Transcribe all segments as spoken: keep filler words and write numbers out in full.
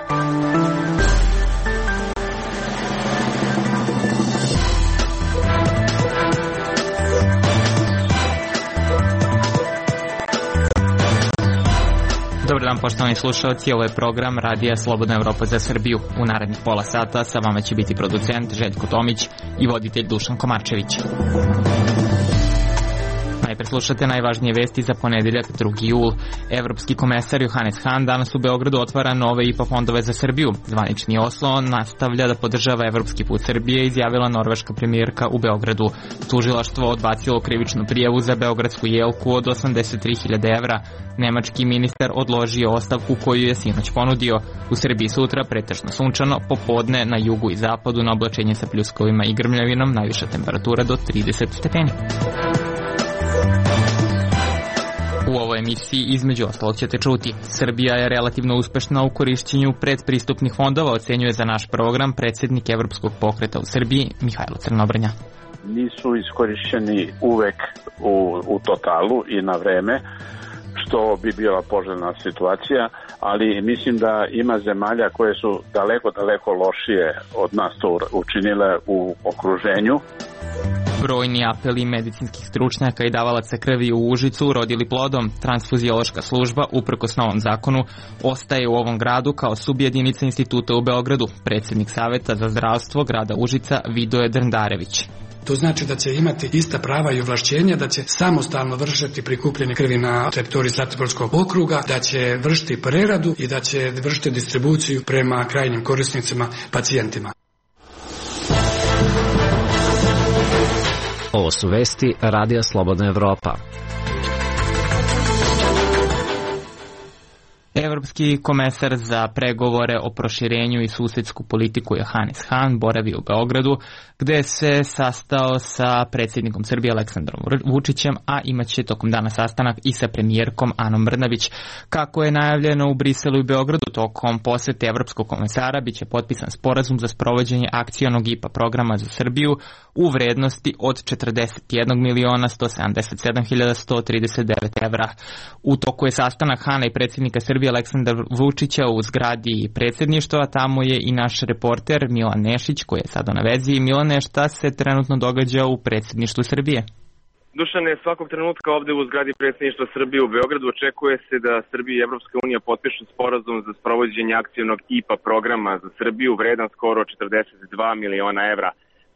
Dobar dan, poštovani slušalci, ovo je program Radija Slobodna Evropa za Srbiju. U narednih pola sata sa vama će biti producent Željko Tomić i voditelj Dušan Komarčević. Najpre slušate najvažnije vesti za ponedeljak drugi jul. Evropski komesar Johannes Hahn danas u Beogradu otvara nove I P A fondove za Srbiju. Zvanični Oslo nastavlja da podržava evropski put Srbije, izjavila norveška premijerka u Beogradu. Tužilaštvo odbacilo krivičnu prijavu za beogradsku jelku od osamdeset tri hiljade evra. Nemački ministar odložio ostavku koju je sinoć ponudio. U Srbiji sutra pretežno sunčano, popodne na jugu i zapadu na oblačenje sa pljuskovima i grmljavinom, najviša temperatura do trideset stepeni. U ovoj emisiji između ostalog ćete čuti: Srbija je relativno uspešna u korišćenju predpristupnih fondova, ocenjuje za naš program predsjednik Evropskog pokreta u Srbiji Mihajlo Crnobrnja. Nisu iskorišćeni uvek u, u totalu i na vreme, što bi bila poželjna situacija, ali mislim da ima zemalja koje su daleko, daleko lošije od nas to učinile u okruženju. Brojni apeli medicinskih stručnjaka i davalaca krvi u Užicu rodili plodom. Transfuziološka služba, uprkos novom zakonu, ostaje u ovom gradu kao subjedinica instituta u Beogradu. Predsjednik Saveta za zdravstvo grada Užica Vidoje Drndarević. To znači da će imati ista prava i ovlašćenja, da će samostalno vršiti prikupljanje krvi na teritoriji Zlatiborskog okruga, da će vršiti preradu i da će vršiti distribuciju prema krajnjim korisnicima, pacijentima. Ovo su vesti Radija Slobodna Evropa. Evropski komesar za pregovore o proširenju i susedsku politiku Johannes Hahn boravi u Beogradu, gde se sastao sa predsjednikom Srbije Aleksandrom Vučićem, a imaće tokom dana sastanak i sa premijerkom Anom Brnabić. Kako je najavljeno u Briselu i Beogradu, tokom posete Evropskog komesara biće potpisan sporazum za sprovođenje akcionog I P A programa za Srbiju u vrednosti od četrdeset jedan miliona sto sedamdeset sedam hiljada sto trideset devet evra. U toku je sastanak Hana i predsjednika Srbije Aleksandra Vučića u zgradi predsjedništva, tamo je i naš reporter Milan Nešić koji je sada na vezi. Milane, šta se trenutno događa u predsjedništvu Srbije? Dušane, svakog trenutka ovde u zgradi predsjedništva Srbije u Beogradu očekuje se da Srbija i Evropska unija potpišu sporazum za sprovođenje akcionog I P A programa za Srbiju vredan skoro četrdeset dva miliona evra.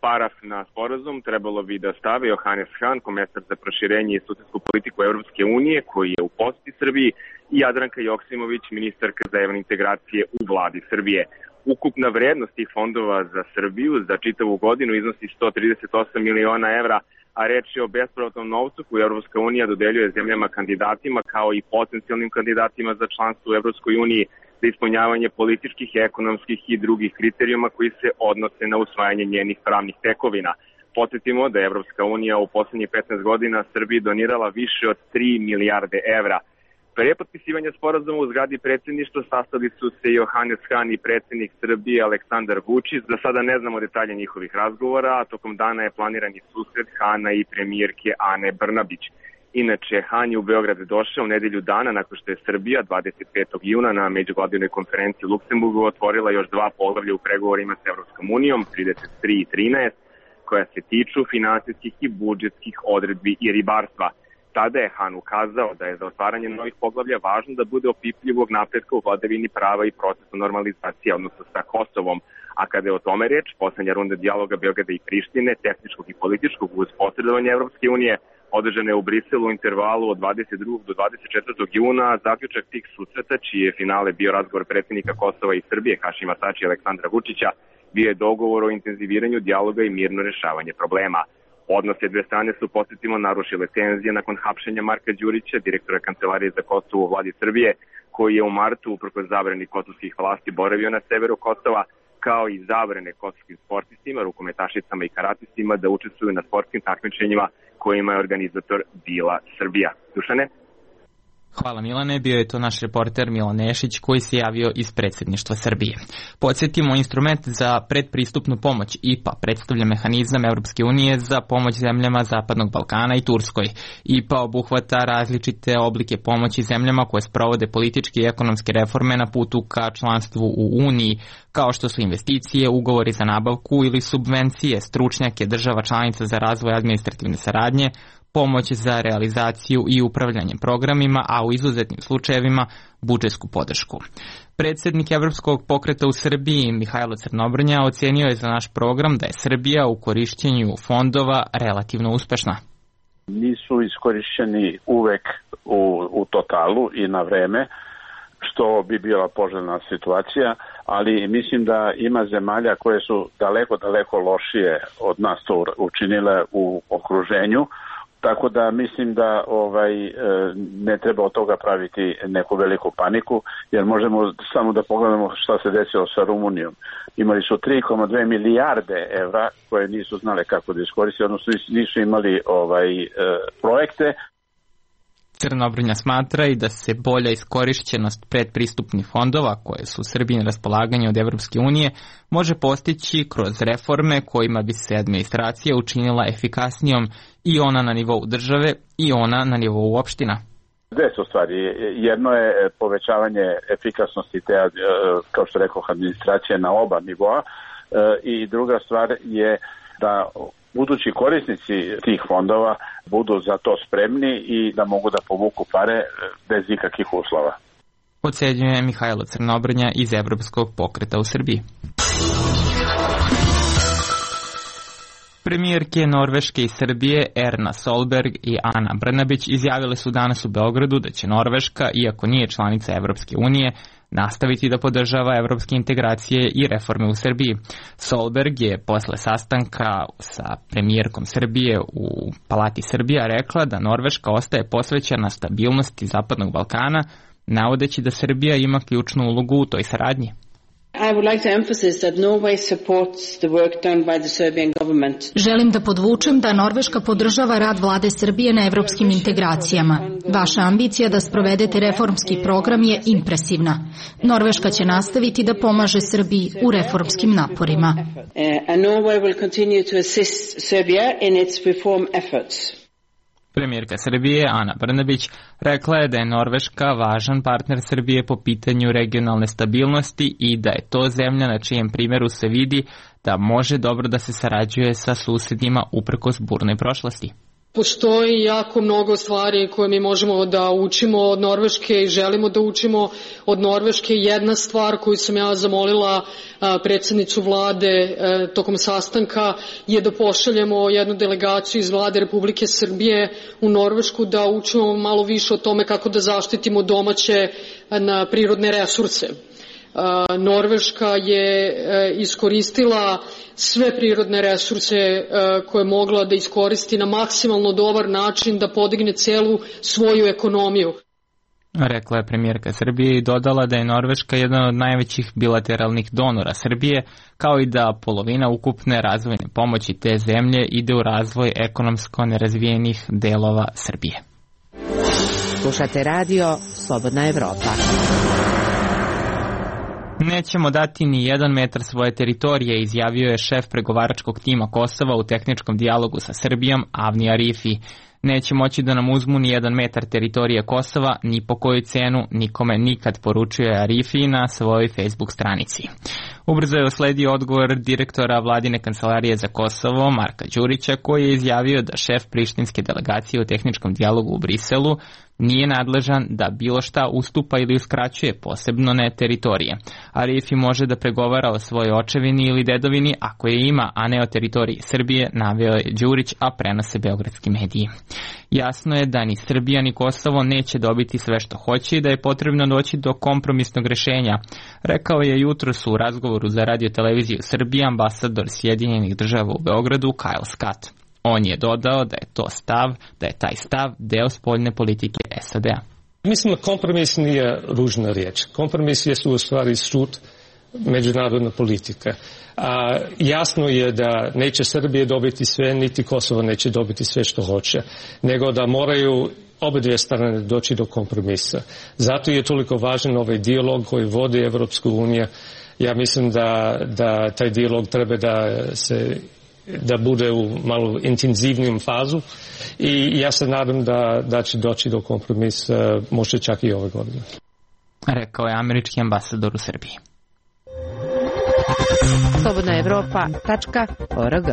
Paraf na sporazum trebalo bi da stave Johannes Hahn, komesar za proširenje i susedsku politiku Evropske unije, koji je u poseti Srbiji, i Jadranka Joksimović, ministarka za evropske integracije u vladi Srbije. Ukupna vrednost tih fondova za Srbiju za čitavu godinu iznosi sto trideset osam miliona evra, a reč je o bespovratnom novcu koju Evropska unija dodeljuje zemljama kandidatima kao i potencijalnim kandidatima za članstvo u Evropskoj uniji za ispunjavanje političkih, ekonomskih i drugih kriterijuma koji se odnose na usvajanje njenih pravnih tekovina. Podsjetimo da je Evropska unija u poslednjih petnaest godina Srbiji donirala više od tri milijarde evra. Pre potpisivanja sporazuma u zgradi predsjedništva sastali su se Johannes Hahn i predsjednik Srbije Aleksandar Vučić. Za sada ne znamo detalje njihovih razgovora, a tokom dana je planiran i susret Hana i premijerke Ane Brnabić. Inače, Hahn je u Beograd došao u nedelju dana nakon što je Srbija dvadeset petog juna na međuvladinoj konferenciji u Luksemburgu otvorila još dva poglavlja u pregovorima s Evropskom unijom, trideset tri i trinaest, koja se tiču finansijskih i budžetskih odredbi i ribarstva. Tada je Hahn ukazao da je za otvaranje novih poglavlja važno da bude opipljivog napretka u vladavini prava i procesu normalizacije, odnosno sa Kosovom. A kada je o tome reč, poslednja runda dijaloga Beograda i Prištine, tehničkog i političkog uz posredovanje Evropske unije, održane je u Briselu u intervalu od dvadeset drugog do dvadeset četvrtog juna, a zaključak tih susreta, čiji je finale bio razgovor predsjednika Kosova i Srbije Hašima Tačija i Aleksandra Vučića, bio je dogovor o intenziviranju dijaloga i mirno rešavanje problema. Odnose dve strane su, podsjetimo, narušile tenzije nakon hapšenja Marka Đurića, direktora Kancelarije za Kosovo u vladi Srbije, koji je u martu, uprkos zabrani kosovskih vlasti, boravio na severu Kosova, kao i zabrane kosovskim sportistima, rukometašicama i karatistima da učestvuju na sportskim takmičenjima kojima je organizator bila Srbija. Dušane? Hvala Milane, bio je to naš reporter Milan Nešić koji se javio iz predsjedništva Srbije. Podsjetimo, instrument za predpristupnu pomoć I P A predstavlja mehanizam Europske unije za pomoć zemljama Zapadnog Balkana i Turskoj. I P A obuhvata različite oblike pomoći zemljama koje sprovode političke i ekonomske reforme na putu ka članstvu u Uniji, kao što su investicije, ugovori za nabavku ili subvencije, stručnjake država članica za razvoj administrativne saradnje, pomoć za realizaciju i upravljanje programima, a u izuzetnim slučajevima budžetsku podršku. Predsjednik Evropskog pokreta u Srbiji, Mihajlo Crnobrnja, ocenio je za naš program da je Srbija u korišćenju fondova relativno uspešna. Nisu iskorišćeni uvek u, u totalu i na vreme, što bi bila poželjna situacija, ali mislim da ima zemalja koje su daleko, daleko lošije od nas to učinile u okruženju. Tako da mislim da ovaj ne treba od toga praviti neku veliku paniku, jer možemo samo da pogledamo šta se desilo sa Rumunijom. Imali su tri zarez dve milijarde evra koje nisu znale kako da iskoriste, odnosno nisu imali ovaj projekte. Crnobrnja smatra i da se bolja iskorišćenost predpristupnih fondova koje su Srbiji na raspolaganju od Evropske unije može postići kroz reforme kojima bi se administracija učinila efikasnijom i ona na nivou države i ona na nivou opština. Dve su stvari. Jedno je povećavanje efikasnosti te, kao što rekao, administracije na oba nivoa i druga stvar je da budući korisnici tih fondova budu za to spremni i da mogu da povuku pare bez ikakvih uslova. Ocenjuje Mihajlo Crnobrnja iz Evropskog pokreta u Srbiji. Premijerke Norveške i Srbije Erna Solberg i Ana Brnabić izjavile su danas u Beogradu da će Norveška, iako nije članica Evropske unije, nastaviti da podržava evropske integracije i reforme u Srbiji. Solberg je posle sastanka sa premijerkom Srbije u Palati Srbija rekla da Norveška ostaje posvećena stabilnosti Zapadnog Balkana, navodeći da Srbija ima ključnu ulogu u toj saradnji. Želim da podvučem da Norveška podržava rad vlade Srbije na evropskim integracijama. Vaša ambicija da sprovedete reformski program je impresivna. Norveška će nastaviti da pomaže Srbiji u reformskim naporima. Premijerka Srbije Ana Brnabić rekla je da je Norveška važan partner Srbije po pitanju regionalne stabilnosti i da je to zemlja na čijem primjeru se vidi da može dobro da se sarađuje sa susedima uprkos burnoj prošlosti. Postoji jako mnogo stvari koje mi možemo da učimo od Norveške i želimo da učimo od Norveške. Jedna stvar koju sam ja zamolila predsjednicu vlade tokom sastanka je da pošaljemo jednu delegaciju iz vlade Republike Srbije u Norvešku da učimo malo više o tome kako da zaštitimo domaće prirodne resurse. Norveška je iskoristila sve prirodne resurse koje je mogla da iskoristi na maksimalno dobar način da podigne celu svoju ekonomiju. Rekla je premijerka Srbije i dodala da je Norveška jedan od najvećih bilateralnih donora Srbije, kao i da polovina ukupne razvojne pomoći te zemlje ide u razvoj ekonomsko nerazvijenih delova Srbije. Slušate radio Slobodna Evropa. Nećemo dati ni jedan metar svoje teritorije, izjavio je šef pregovaračkog tima Kosova u tehničkom dijalogu sa Srbijom Avni Arifi. Neće moći da nam uzmu ni jedan metar teritorije Kosova, ni po koju cenu, nikome nikad, poručuje Arifi na svojoj Facebook stranici. Ubrzo je usledio odgovor direktora vladine kancelarije za Kosovo, Marka Đurića, koji je izjavio da šef prištinske delegacije u tehničkom dijalogu u Briselu nije nadležan da bilo šta ustupa ili uskraćuje, posebno ne teritorije. Arifi može da pregovara o svojoj očevini ili dedovini ako je ima, a ne o teritoriji Srbije, naveo je Đurić, a prenose beogradski mediji. Jasno je da ni Srbija ni Kosovo neće dobiti sve što hoće i da je potrebno doći do kompromisnog rešenja, rekao je jutros u razgovoru za radio-televiziju Srbije ambasador Sjedinjenih država u Beogradu Kyle Scott. On je dodao da je to stav, da je taj stav deo spoljne politike S A D-a. Mislim da kompromis nije ružna riječ. Kompromis je u stvari sud međunarodna politika. A, jasno je da neće Srbije dobiti sve, niti Kosovo neće dobiti sve što hoće, nego da moraju obe dvije strane doći do kompromisa. Zato je toliko važan ovaj dijalog koji vodi Evropska unija. Ja mislim da, da taj dijalog treba da se da bude u malo intenzivnijem fazu i ja se nadam da, da će doći do kompromisa možda čak i ove godine. Rekao je američki ambasador u Srbiji. slobodna evropa tačka org.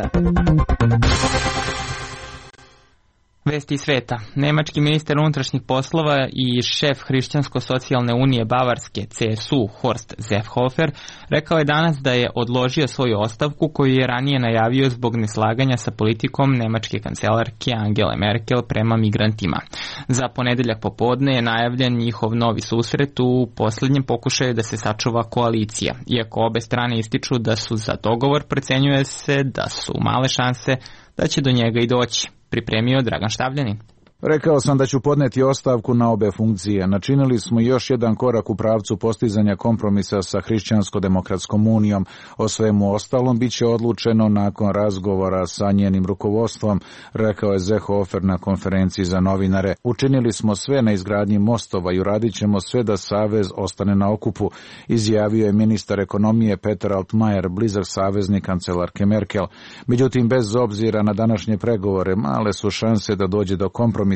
Vesti sveta. Nemački ministar unutrašnjih poslova i šef Hrišćansko-socijalne unije Bavarske C S U Horst Seehofer rekao je danas da je odložio svoju ostavku koju je ranije najavio zbog neslaganja sa politikom nemačke kancelarke Angele Merkel prema migrantima. Za ponedeljak popodne je najavljen njihov novi susret u posljednjem pokušaju da se sačuva koalicija. Iako obe strane ističu da su za dogovor, procenjuje se da su male šanse da će do njega i doći. Pripremio Dragan Štavljanin. Rekao sam da ću podneti ostavku na obe funkcije. Načinili smo još jedan korak u pravcu postizanja kompromisa sa Hrišćansko-demokratskom unijom. O svemu ostalom bit će odlučeno nakon razgovora sa njenim rukovodstvom, rekao je Seehofer na konferenciji za novinare. Učinili smo sve na izgradnji mostova i uradit ćemo sve da savez ostane na okupu, izjavio je ministar ekonomije Peter Altmaier, blizak saveznik kancelarke Merkel. Međutim, bez obzira na današnje pregovore, male su šanse da dođe do kompromisa,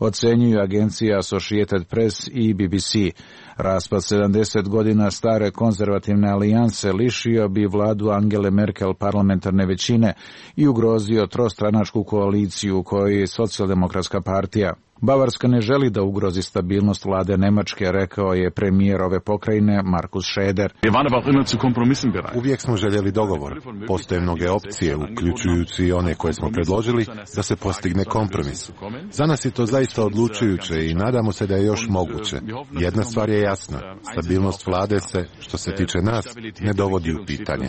ocenjuju agencija Associated Press i B B C. Raspad sedamdeset godina stare konzervativne alijanse lišio bi vladu Angele Merkel parlamentarne većine i ugrozio trostranačku koaliciju u kojoj je socijaldemokratska partija. Bavarska ne želi da ugrozi stabilnost vlade Nemačke, rekao je premijer ove pokrajine Markus Schäder. Uvijek smo željeli dogovor. Postoje mnoge opcije, uključujući i one koje smo predložili, da se postigne kompromis. Za nas je to zaista odlučujuće i nadamo se da je još moguće. Jedna stvar je jasna. Stabilnost vlade se, što se tiče nas, ne dovodi u pitanje.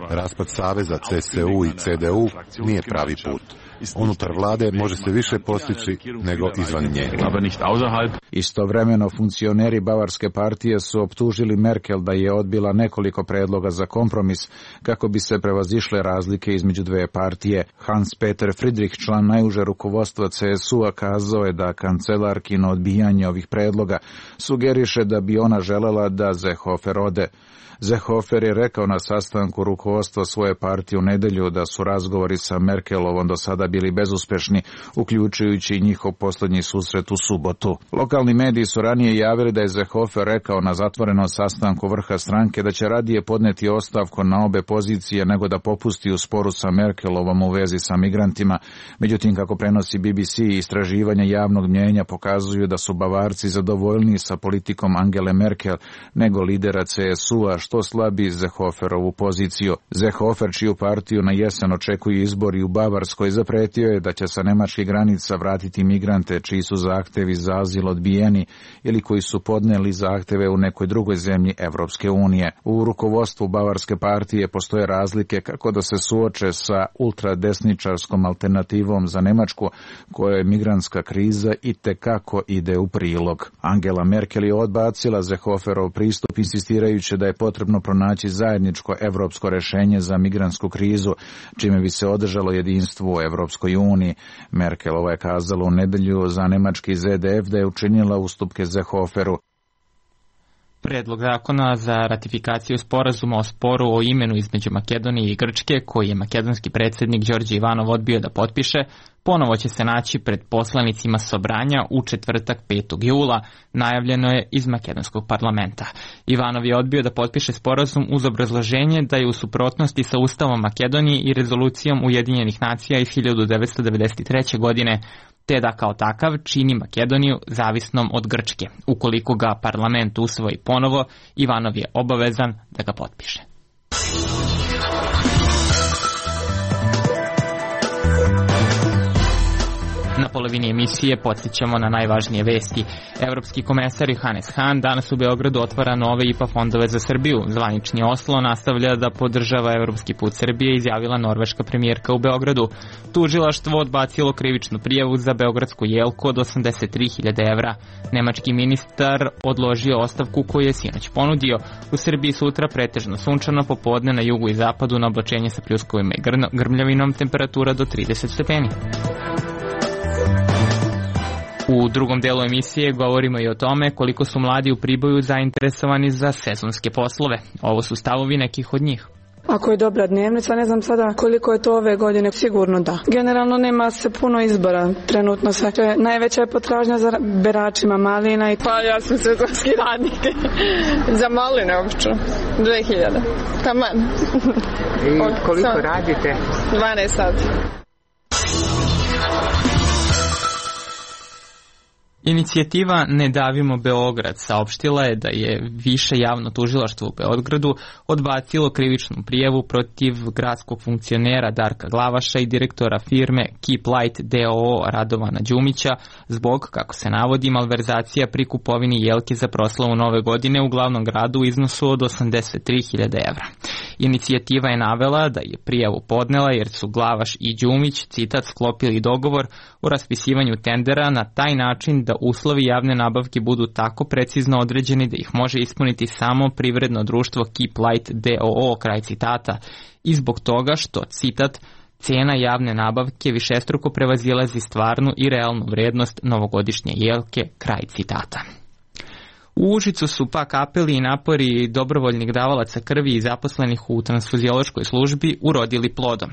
Raspad saveza C S U i C D U nije pravi put. Unutar vlade može se više postići nego izvan nje. Istovremeno, funkcioneri Bavarske partije su optužili Merkel da je odbila nekoliko predloga za kompromis kako bi se prevazišle razlike između dve partije. Hans-Peter Friedrich, član najuže rukovodstva C S U-a, kazao je da kancelarkino odbijanje ovih predloga sugeriše da bi ona želela da Seehofer ode. Seehofer je rekao na sastanku rukovodstva svoje partije u nedelju da su razgovori sa Merkelovom do sada bili bezuspešni, uključujući i njihov posljednji susret u subotu. Lokalni mediji su ranije javili da je Seehofer rekao na zatvorenom sastanku vrha stranke da će radije podneti ostavku na obe pozicije nego da popusti u sporu sa Merkelovom u vezi sa migrantima. Međutim, kako prenosi B B C, istraživanja javnog mnjenja pokazuju da su Bavarci zadovoljniji sa politikom Angele Merkel nego lidera C S U-a, što slabi Seehoferovu poziciju. Seehofer, čiju partiju na jesen očekuju izbori u Bavarskoj, zapretio je da će sa nemačkih granica vratiti migrante čiji su zahtevi za azil odbijeni ili koji su podneli zahteve u nekoj drugoj zemlji Evropske unije. U rukovodstvu Bavarske partije postoje razlike kako da se suoče sa ultradesničarskom alternativom za Nemačku, kojoj migrantska kriza i tekako ide u prilog. Angela Merkel je odbacila Seehoferov pristup, insistirajući da je potrebno pronaći zajedničko evropsko rešenje za migrantsku krizu, čime bi se održalo jedinstvo u Evropskoj uniji. Merkelova je kazala u nedelju za nemački Z D F da je učinila ustupke Seehoferu. Predlog zakona za ratifikaciju sporazuma o sporu o imenu između Makedonije i Grčke, koji je makedonski predsjednik Đorđe Ivanov odbio da potpiše, ponovo će se naći pred poslanicima Sobranja u četvrtak petog jula, najavljeno je iz makedonskog parlamenta. Ivanov je odbio da potpiše sporazum uz obrazloženje da je u suprotnosti sa Ustavom Makedonije i rezolucijom Ujedinjenih nacija iz hiljadu devetsto devedeset treće. godine, te da kao takav čini Makedoniju zavisnom od Grčke. Ukoliko ga parlament usvoji ponovo, Ivanov je obavezan da ga potpiše. Na polovini emisije podsjećamo na najvažnije vesti. Evropski komesar Johannes Hahn danas u Beogradu otvara nove I P A fondove za Srbiju. Zvanični Oslo nastavlja da podržava evropski put Srbije, izjavila norveška premijerka u Beogradu. Tužilaštvo odbacilo krivičnu prijavu za beogradsku jelku od osamdeset tri hiljade evra. Nemački ministar odložio ostavku koju je sinoć ponudio. U Srbiji sutra pretežno sunčano, popodne na jugu i zapadu na oblačenje sa pljuskovima i grmljavinom, temperatura do trideset stepeni. U drugom delu emisije govorimo i o tome koliko su mladi u Priboju zainteresovani za sezonske poslove. Ovo su stavovi nekih od njih. Ako je dobra dnevnica, ne znam sada koliko je to ove godine, sigurno da. Generalno nema se puno izbora trenutno sve. Najveća je potražnja za beračima malina. I... Pa ja sam sezonski radnik. Za maline obično. dve hiljade. Taman. I koliko Sam... radite? dvanaest sati. Inicijativa Ne davimo Beograd saopštila je da je više javno tužilaštvo u Beogradu odbacilo krivičnu prijavu protiv gradskog funkcionera Darka Glavaša i direktora firme Keep Light D O O Radovana Đumića zbog, kako se navodi, malverzacija pri kupovini jelke za proslavu Nove godine u glavnom gradu u iznosu od osamdeset tri hiljade evra. Inicijativa je navela da je prijavu podnela jer su Glavaš i Đumić, citat, sklopili dogovor o raspisivanju tendera na taj način da uslovi javne nabavke budu tako precizno određeni da ih može ispuniti samo privredno društvo Keep Light D O O, kraj citata, i zbog toga što, citat, cena javne nabavke višestruko prevazilazi stvarnu i realnu vrednost novogodišnje jelke, kraj citata. U Užicu su pak apeli i napori dobrovoljnih davalaca krvi i zaposlenih u transfuziološkoj službi urodili plodom.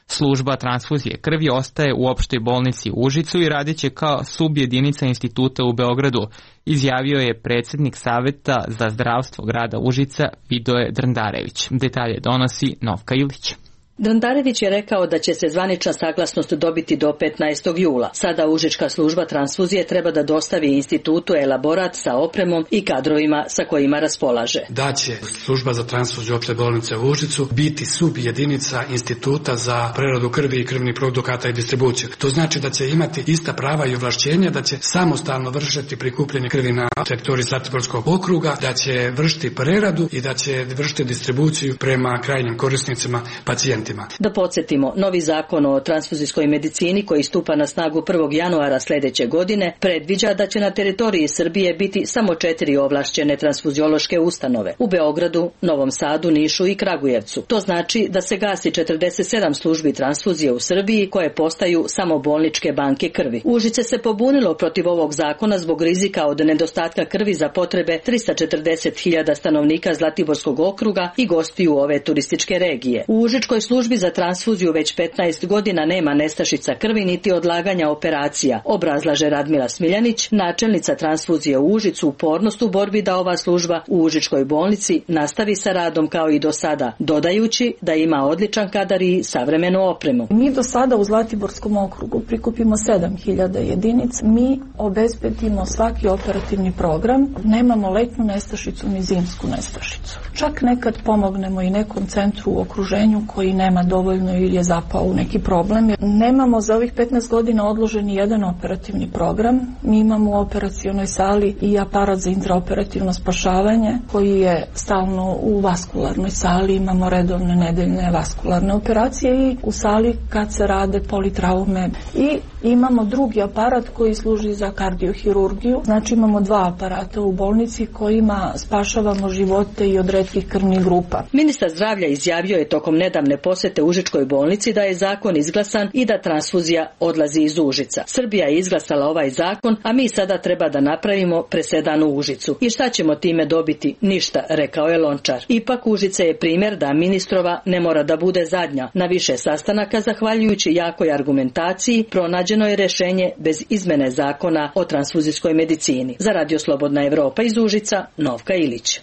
Služba transfuzije krvi ostaje u opštoj bolnici u Užicu i radit će kao subjedinica instituta u Beogradu, izjavio je predsjednik Saveta za zdravstvo grada Užica Vidoje Drndarević. Detalje donosi Novka Ilić. Drndarević je rekao da će se zvanična saglasnost dobiti do petnaestog jula. Sada Užička služba transfuzije treba da dostavi institutu elaborat sa opremom i kadrovima sa kojima raspolaže. Da će služba za transfuziju opšte bolnice u Užicu biti subjedinica instituta za preradu krvi i krvnih produkata i distribuciju. To znači da će imati ista prava i ovlašćenja, da će samostalno vršiti prikupljanje krvi na teritoriji Zlatiborskog okruga, da će vršiti preradu i da će vršiti distribuciju prema krajnjim korisnicima, pacijentima. Da podsjetimo, novi zakon o transfuzijskoj medicini koji stupa na snagu prvog januara sljedeće godine predviđa da će na teritoriji Srbije biti samo četiri ovlašćene transfuziološke ustanove u Beogradu, Novom Sadu, Nišu i Kragujevcu. To znači da se gasi četrdeset sedam službi transfuzije u Srbiji koje postaju samo bolničke banke krvi. Užice se pobunilo protiv ovog zakona zbog rizika od nedostatka krvi za potrebe trista četrdeset hiljada stanovnika Zlatiborskog okruga i gostiju ove turističke regije. U Užičkoj službi službi za transfuziju već petnaest godina nema nestašica krvi niti odlaganja operacija, obrazlaže Radmila Smiljanić, načelnica transfuzije u Užicu, upornost u borbi da ova služba u Užičkoj bolnici nastavi sa radom kao i do sada, dodajući da ima odličan kadar i savremenu opremu. Mi do sada u Zlatiborskom okrugu prikupimo sedam hiljada jedinica, mi obezbedimo svaki operativni program, nemamo letnu nestašicu ni zimsku nestašicu. Čak nekad pomognemo i nekom centru u okruženju koji nema dovoljno ili je zapao u neki problem. Nemamo za ovih petnaest godina odloženi jedan operativni program. Mi imamo u operacionoj sali i aparat za intraoperativno spašavanje koji je stalno u vaskularnoj sali. Imamo redovne nedeljne vaskularne operacije i u sali kad se rade politraume. I imamo drugi aparat koji služi za kardiohirurgiju. Znači imamo dva aparata u bolnici kojima spašavamo živote i od retkih krvnih grupa. Ministar zdravlja izjavio je tokom nedavne posete Užičkoj bolnici da je zakon izglasan i da transfuzija odlazi iz Užica. Srbija je izglasala ovaj zakon, a mi sada treba da napravimo presedan u Užicu. I šta ćemo time dobiti? Ništa, rekao je Lončar. Ipak Užice je primjer da ministrova ne mora da bude zadnja. Na više sastanaka, zahvaljujući jakoj argumentaciji, pronađeno je rješenje bez izmene zakona o transfuzijskoj medicini. Za Radio Slobodna Evropa iz Užica, Novka Ilić.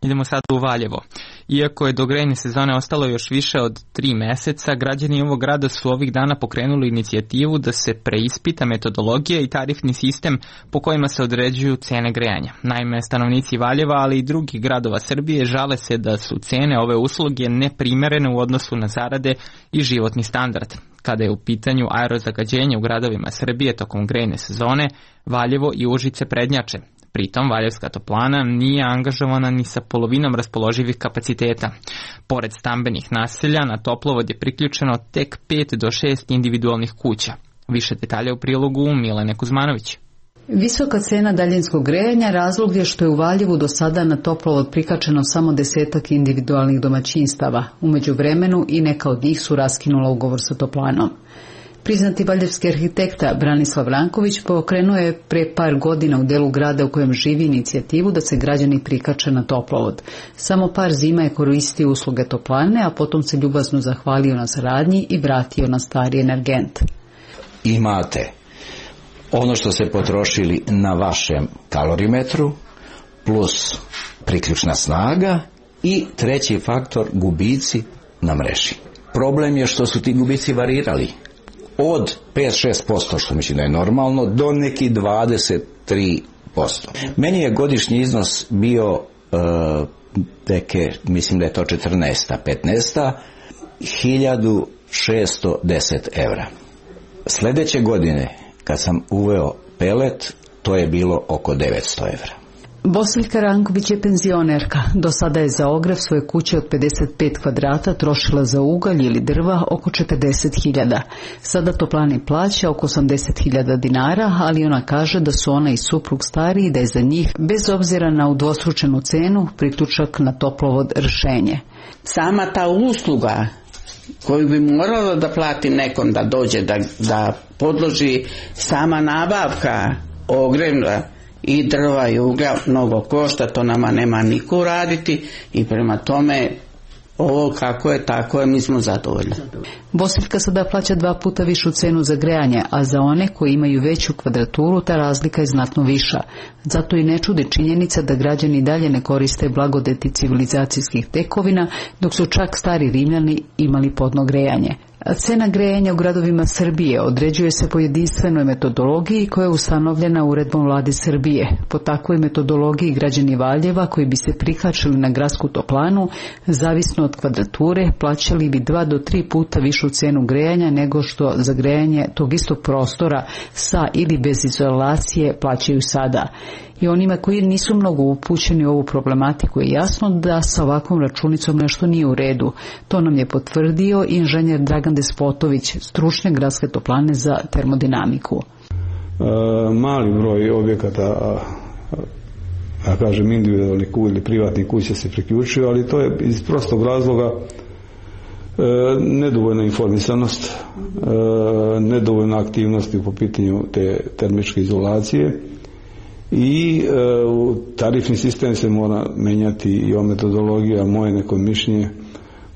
Idemo sad u Valjevo. Iako je do grejne sezone ostalo još više od tri meseca, građani ovog grada su ovih dana pokrenuli inicijativu da se preispita metodologija i tarifni sistem po kojima se određuju cene grejanja. Naime, stanovnici Valjeva, ali i drugih gradova Srbije žale se da su cene ove usluge neprimerene u odnosu na zarade i životni standard. Kada je u pitanju aerozagađenje u gradovima Srbije tokom grejne sezone, Valjevo i Užice prednjače. Pritom, Valjevska toplana nije angažovana ni sa polovinom raspoloživih kapaciteta. Pored stambenih naselja, na toplovod je priključeno tek pet do šest individualnih kuća. Više detalja u prilogu Milene Kuzmanović. Visoka cena daljinskog grejanja razlog je što je u Valjevu do sada na toplovod prikačeno samo desetak individualnih domaćinstava. U međuvremenu i neka od njih su raskinula ugovor sa toplanom. Priznati valjevski arhitekta Branislav Ranković pokrenuo je pre par godina u delu grada u kojem živi inicijativu da se građani prikače na toplovod. Samo par zima je koristio usluge toplane, a potom se ljubazno zahvalio na saradnji i vratio na stari energent. Imate ono što ste potrošili na vašem kalorimetru plus priključna snaga i treći faktor gubici na mreži. Problem je što su ti gubici varirali od pet do šest posto, što mislim da je normalno, do neki dvadeset tri posto. Meni je godišnji iznos bio uh, teke, mislim da je to četrnaesta, petnaesta, hiljadu šesto deset evra. Sljedeće godine, kad sam uveo pelet, to je bilo oko devetsto evra. Bosiljka Ranković je penzionerka. Do sada je za ogrjev svoje kuće od pedeset pet kvadrata trošila za ugalj ili drva oko četrdeset hiljada. Sada toplani plaća oko osamdeset hiljada dinara, ali ona kaže da su ona i suprug stariji i da je za njih, bez obzira na udvostručenu cenu, priključak na toplovod rješenje. Sama ta usluga koju bi morala da plati nekom da dođe, da, da podloži sama nabavka ogrjeva i drva i uglja mnogo košta, to nama nema niko raditi i prema tome ovo kako je, tako je, mi smo zadovoljni. Bosiljka sada plaća dva puta višu cenu za grejanje, a za one koji imaju veću kvadraturu ta razlika je znatno viša. Zato i ne čudi činjenica da građani dalje ne koriste blagodeti civilizacijskih tekovina, dok su čak stari Rimljani imali podno grejanje. Cena grejanja u gradovima Srbije određuje se po jedinstvenoj metodologiji koja je ustanovljena uredbom vlade Srbije. Po takvoj metodologiji građani Valjeva koji bi se prikačili na gradsku toplanu, zavisno od kvadrature, plaćali bi dva do tri puta višu cenu grejanja nego što za grejanje tog istog prostora sa ili bez izolacije plaćaju sada. I onima koji nisu mnogo upućeni u ovu problematiku je jasno da sa ovakvom računicom nešto nije u redu. To nam je potvrdio inženjer Dragan Despotović, stručnjak gradske toplane za termodinamiku. E, mali broj objekata, ja kažem individualnih ili privatnih kuća se priključuju, ali to je iz prostog razloga e, nedovoljna informisanost, e, nedovoljna aktivnosti po pitanju te termičke izolacije. I e, tarifni sistem se mora menjati i o metodologija, moje neko mišljenje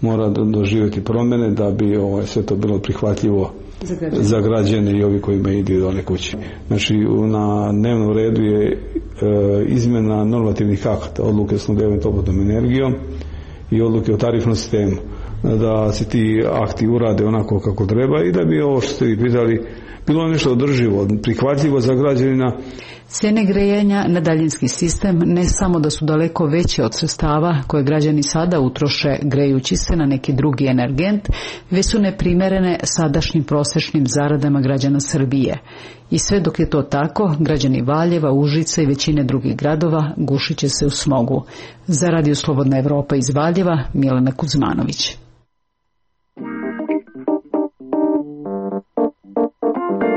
mora doživjeti promjene da bi ovaj, sve to bilo prihvatljivo za građane, za građane i ovi koji imaju individualne kuće. Znači na dnevnom redu je e, izmjena normativnih akata, odluke s snabdevanjem toplotnom energijom i odluke o tarifnom sistemu, da se ti akti urade onako kako treba i da bi ovo što ste vi pitali bilo nešto održivo, prihvatljivo za građanina. Cijene grejanja na daljinski sistem ne samo da su daleko veće od sredstava koje građani sada utroše grejući se na neki drugi energent, već su neprimjerene sadašnjim prosječnim zaradama građana Srbije. I sve dok je to tako, građani Valjeva, Užica i većine drugih gradova gušit će se u smogu. Za Radio Slobodna Evropa iz Valjeva, Milena Kuzmanović.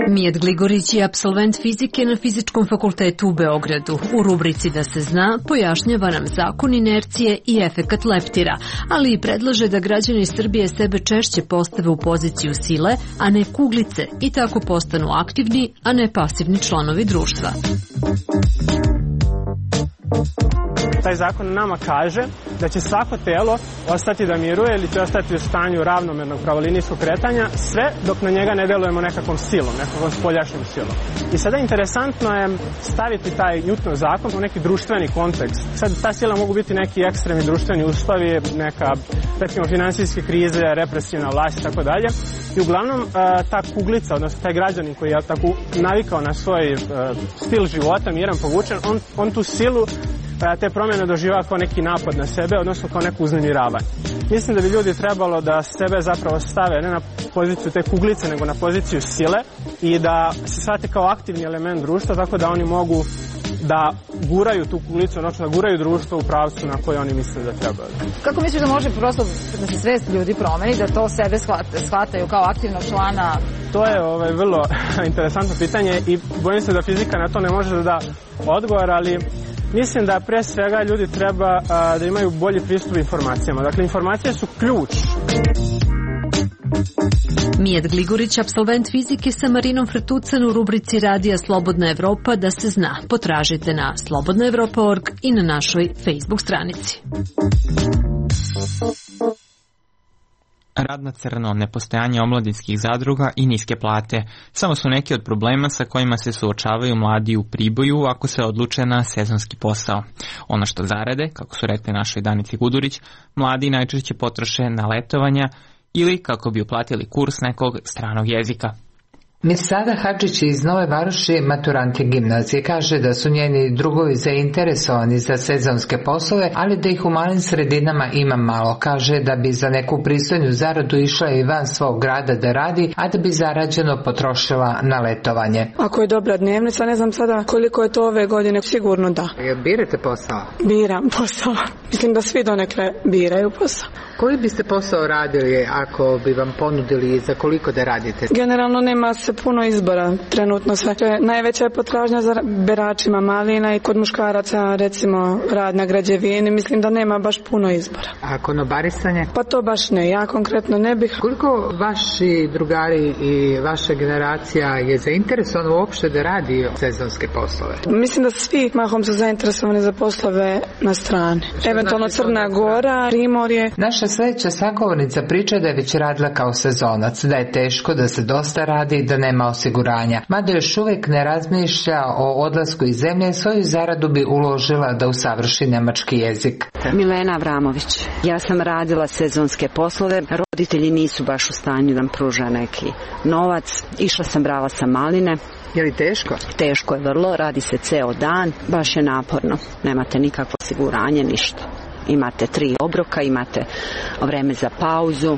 Mijat Gligorić je apsolvent fizike na Fizičkom fakultetu u Beogradu. U rubrici Da se zna pojašnjava nam zakon inercije i efekat leptira, ali i predlaže da građani Srbije sebe češće postave u poziciju sile, a ne kuglice, i tako postanu aktivni, a ne pasivni članovi društva. Taj zakon nama kaže da će svako telo ostati da miruje ili će ostati u stanju ravnomernog pravolinijskog kretanja sve dok na njega ne delujemo nekakvom silom, nekakvom spoljašnjom silom. I sada interesantno je staviti taj Newtonov zakon u neki društveni kontekst. Sad ta sila mogu biti neki ekstremni društveni uslovi, neka recimo finansijske krize, represivna vlast i tako dalje. I uglavnom ta kuglica, odnosno taj građanin koji je tako navikao na svoj stil života, miran, povučen, on, on tu silu te promjene doživava kao neki napad na sebe, odnosno kao neku uznemiravanje. Mislim da bi ljudi trebalo da sebe zapravo stave ne na poziciju te kuglice, nego na poziciju sile i da se shvate kao aktivni element društva, tako da oni mogu da guraju tu kuglicu, odnosno da guraju društvo u pravcu na koje oni misle da trebaju. Kako misliš da može prosto da se svest ljudi promeni, da to sebe shvataju kao aktivnog člana? To je ovaj, vrlo interesantno pitanje i bojim se da fizika na to ne može da da odgovor, ali mislim da pre svega ljudi treba a, da imaju bolji pristup informacijama. Dakle, informacije su ključ. Mijat Gligorić, apsolvent fizike sa Marinom Fretucan u rubrici Radija Slobodna Evropa, da se zna. Potražite na slobodna evropa tačka org i na našoj Facebook stranici. Rad na crno, nepostojanje omladinskih zadruga i niske plate samo su neki od problema sa kojima se suočavaju mladi u Priboju ako se odluče na sezonski posao. Ono što zarade, kako su rekli našoj Danici Gudurić, mladi najčešće potroše na letovanja ili kako bi uplatili kurs nekog stranog jezika. Mirsada Hadžić iz Nove Varoši, maturanti gimnazije, kaže da su njeni drugovi zainteresovani za sezonske poslove, ali da ih u malim sredinama ima malo. Kaže da bi za neku pristojnu zaradu išla i van svog grada da radi, a da bi zarađeno potrošila na letovanje. Ako je dobra dnevnica, ne znam sada koliko je to ove godine, sigurno da. Jel birate posao? Biram posao. Mislim da svi donekle biraju posao. Koji biste posao radili ako bi vam ponudili i za koliko da radite? Generalno nema se puno izbora trenutno sve. Najveća je potražnja za beračima malina i kod muškaraca recimo rad na građevini. Mislim da nema baš puno izbora. A konobarisanje? Pa to baš ne. Ja konkretno ne bih. Koliko vaši drugari i vaša generacija je zainteresovano uopšte da radi sezonske poslove? Mislim da svi mahom su zainteresovani za poslove na strani. Što eventualno znači Crna Gora, Primorje. Naša sledeća sagovornica priča da je već radila kao sezonac, da je teško, da se dosta radi i da nema osiguranja. Mada još uvijek ne razmišlja o odlasku iz zemlje, svoju zaradu bi uložila da usavrši nemački jezik. Milena Avramović. Ja sam radila sezonske poslove. Roditelji nisu baš u stanju da nam pruža neki novac. Išla sam, brala sam maline. Je li teško? Teško je vrlo, radi se ceo dan, baš je naporno. Nemate nikakvo osiguranje, ništa. Imate tri obroka, imate vreme za pauzu.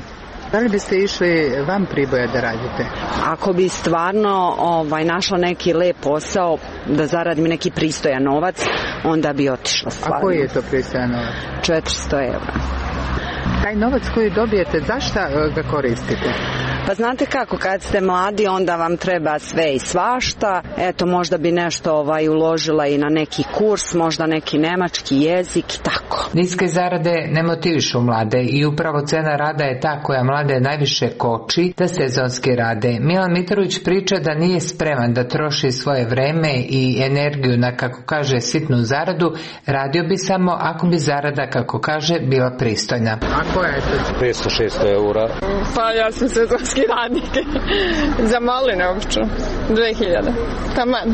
Da li biste išli van Priboja da radite? Ako bi stvarno ovaj, našla neki lep posao, da zaradim neki pristojan novac, onda bi otišla stvarno. A koji je to pristojan novac? četiristo evra. Taj novac koji dobijete, zašto ga koristite? Pa znate kako, kad ste mladi onda vam treba sve i svašta. Eto, možda bi nešto ovaj, uložila i na neki kurs, možda neki nemački jezik i tako. Niske zarade ne motivišu mlade i upravo cena rada je ta koja mlade najviše koči da sezonski rade. Milan Mitrović priča da nije spreman da troši svoje vreme i energiju na, kako kaže, sitnu zaradu. Radio bi samo ako bi zarada, kako kaže, bila pristojna. A koja je to? petsto šesto eura. Pa ja sam sezonski radnik. Za maline obično. dve hiljade. Taman.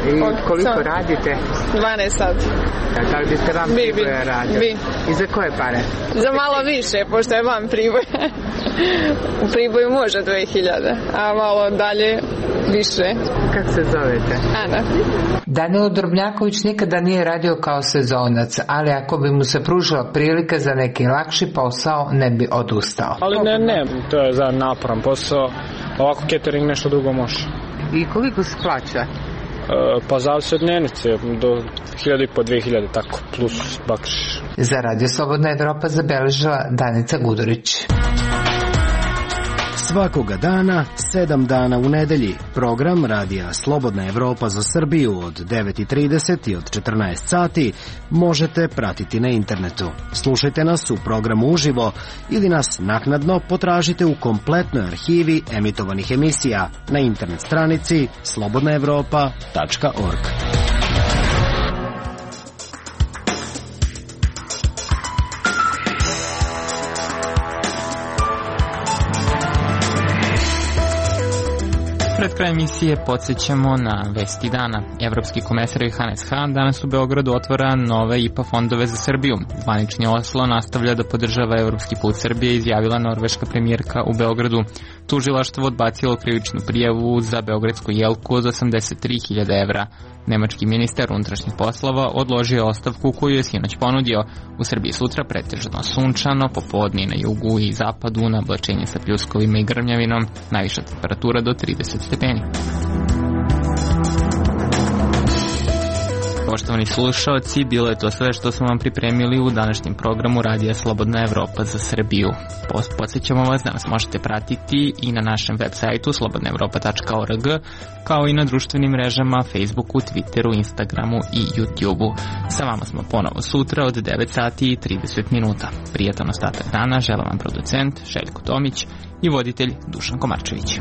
I koliko Od, radite? dvanaest sati. Da li biste vam bi, Priboja radio? Bi. I za koje pare? Za malo više, pošto je vam Priboja. U Priboju može dve hiljade, a malo dalje više. Kako se zovete? Ana. Danilo Drobnjaković nikada nije radio kao sezonac, ali ako bi mu se pružila prilika za neki lakši posao, ne bi odustao. Ali ne, ne, to je za naporan posao. Ovako catering nešto drugo može. I koliko se plaća? E, pa zavisi od dnevnice, do hiljadu i po, dve hiljade, tako, plus bakšiš. Za Radio Slobodna Evropa zabeležila Danica Gudurić. Svakoga dana, sedam dana u nedelji, program Radija Slobodna Evropa za Srbiju od devet i trideset i od četrnaest sati možete pratiti na internetu. Slušajte nas u programu uživo ili nas naknadno potražite u kompletnoj arhivi emitovanih emisija na internet stranici slobodna evropa tačka org. Pred kraj emisije podsjećamo na vesti dana. Evropski komesar Johannes Hahn danas u Beogradu otvara nove I P A fondove za Srbiju. Zvanični Oslo nastavlja da podržava evropski put Srbije, izjavila norveška premijerka u Beogradu. tužilaštvo odbacilo krivičnu prijavu za beogradsku jelku od osamdeset tri hiljade evra. Nemački ministar unutrašnjih poslova odložio ostavku koju je sinoć ponudio. U Srbiji sutra pretežno sunčano, popodne na jugu i zapadu na oblačenje sa pljuskovima i grmljavinom, najviša temperatura do trideset stepeni. Poštovani slušaoci, bilo je to sve što smo vam pripremili u današnjem programu Radija Slobodna Evropa za Srbiju. Podsjećamo vas da nas možete pratiti i na našem web sajtu slobodna evropa tačka org, kao i na društvenim mrežama Facebooku, Twitteru, Instagramu i YouTubeu. Sa vama smo ponovo sutra od devet sati i trideset minuta. Prijatan ostatak dana žele vam producent Željko Tomić i voditelj Dušan Komarčević.